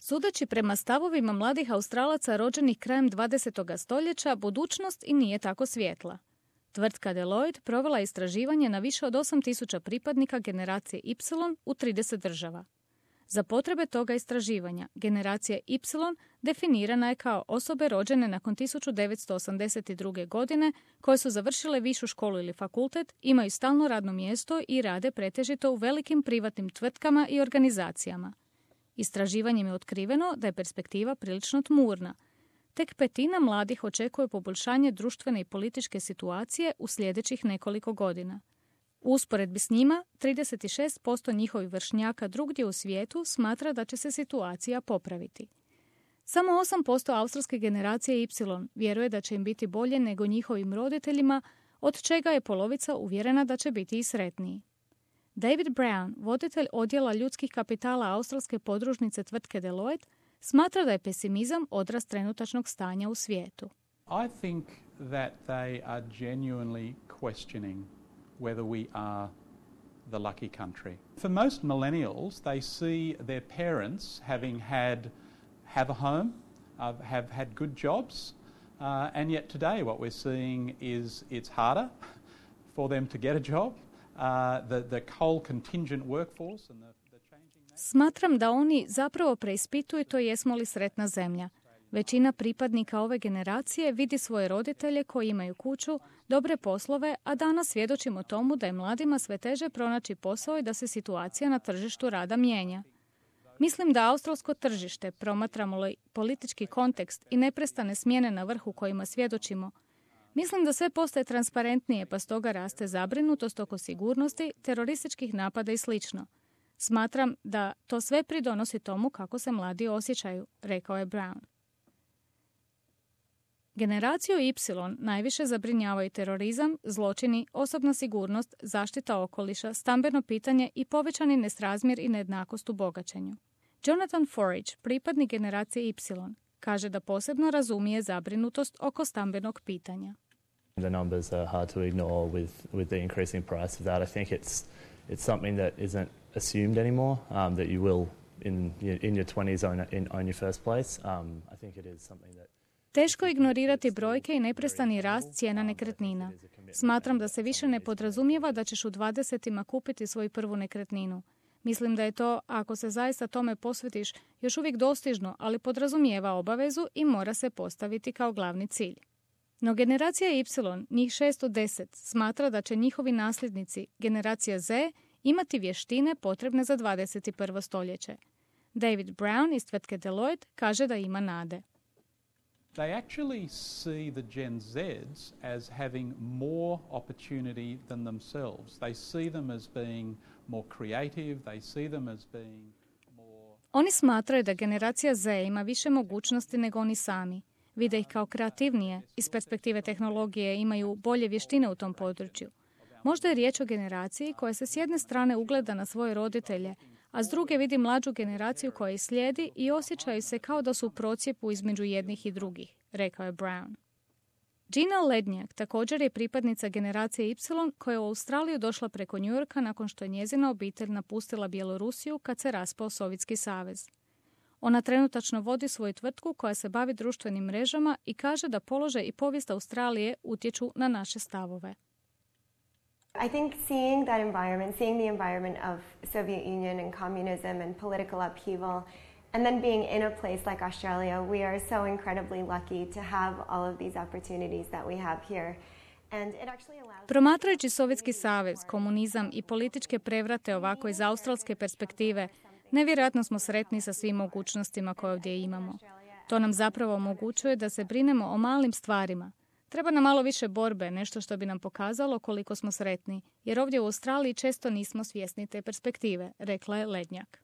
Sudeći prema stavovima mladih Australaca rođenih krajem 20. stoljeća, budućnost i nije tako svjetla. Tvrtka Deloitte provela je istraživanje na više od 8.000 pripadnika generacije Y u 30 država. Za potrebe toga istraživanja, generacija Y definirana je kao osobe rođene nakon 1982. godine koje su završile višu školu ili fakultet, imaju stalno radno mjesto i rade pretežito u velikim privatnim tvrtkama i organizacijama. Istraživanjem je otkriveno da je perspektiva prilično tmurna. Tek 1/5 mladih očekuje poboljšanje društvene i političke situacije u sljedećih nekoliko godina. U usporedbi s njima, 36% njihovih vršnjaka drugdje u svijetu smatra da će se situacija popraviti. Samo 8% australske generacije Y vjeruje da će im biti bolje nego njihovim roditeljima, od čega je polovica uvjerena da će biti i sretniji. David Brown, voditelj odjela ljudskih kapitala australske podružnice tvrtke Deloitte, smatra da je pesimizam odraz trenutačnog stanja u svijetu. I think that they are genuinely questioning whether we are the lucky country. For most millennials, they see their parents having have a home, have had good jobs, and yet today what we're seeing is it's harder for them to get a job. The coal contingent workforce and the changing... Smatram da oni zapravo preispituju to jesmo li sretna zemlja. Većina pripadnika ove generacije vidi svoje roditelje koji imaju kuću, dobre poslove, a danas svjedočimo tomu da je mladima sve teže pronaći posao i da se situacija na tržištu rada mijenja. Mislim da australsko tržište, promatramo li politički kontekst i neprestane smjene na vrhu kojima svjedočimo, mislim da sve postaje transparentnije, pa stoga raste zabrinutost oko sigurnosti, terorističkih napada i sl. Smatram da to sve pridonosi tomu kako se mladi osjećaju, rekao je Brown. Generaciju Y najviše zabrinjavaju terorizam, zločini, osobna sigurnost, zaštita okoliša, stambeno pitanje i povećani nesrazmjer i nejednakost u bogaćenju. Jonathan Forage, pripadnik generacije Y, kaže da posebno razumije zabrinutost oko stambenog pitanja. The numbers are hard to ignore with the increasing price of that. I think it's something that isn't assumed anymore, that you will in your 20s own your first place. I think it is something that Teško je ignorirati brojke i neprestani rast cijena nekretnina. Smatram da se više ne podrazumijeva da ćeš u 20-ima kupiti svoju prvu nekretninu. Mislim da je to, ako se zaista tome posvetiš, još uvijek dostižno, ali podrazumijeva obavezu i mora se postaviti kao glavni cilj. No generacija Y, njih 6 od 10, smatra da će njihovi nasljednici, generacija Z, imati vještine potrebne za 21. stoljeće. David Brown iz tvrtke Deloitte kaže da ima nade. They actually see the Gen Zs as having more opportunity than themselves. They see them as being more creative, they see them as being more... Oni smatraju da generacija Z ima više mogućnosti nego oni sami. Vide ih kao kreativnije, iz perspektive tehnologije imaju bolje vještine u tom području. Možda je riječ o generaciji koja se s jedne strane ugleda na svoje roditelje, a s druge vidi mlađu generaciju koja ih slijedi i osjećaju se kao da su u procjepu između jednih i drugih, rekao je Brown. Gina Lednjak također je pripadnica generacije Y koja je u Australiju došla preko New Yorka nakon što je njezina obitelj napustila Bjelorusiju kad se raspao Sovjetski savez. Ona trenutačno vodi svoju tvrtku koja se bavi društvenim mrežama i kaže da položaj i povijest Australije utječu na naše stavove. I think seeing the environment of Soviet Union and communism and political upheaval, and then being in a place like Australia, we are so incredibly lucky to have all of these opportunities that we have here. And it actually allows... Promatrajući Sovjetski savez, komunizam i političke prevrate ovako iz australske perspektive, nevjerojatno smo sretni sa svim mogućnostima koje ovdje imamo. To nam zapravo omogućuje da se brinemo o malim stvarima. Treba nam malo više borbe, nešto što bi nam pokazalo koliko smo sretni, jer ovdje u Australiji često nismo svjesni te perspektive, rekla je Lednjak.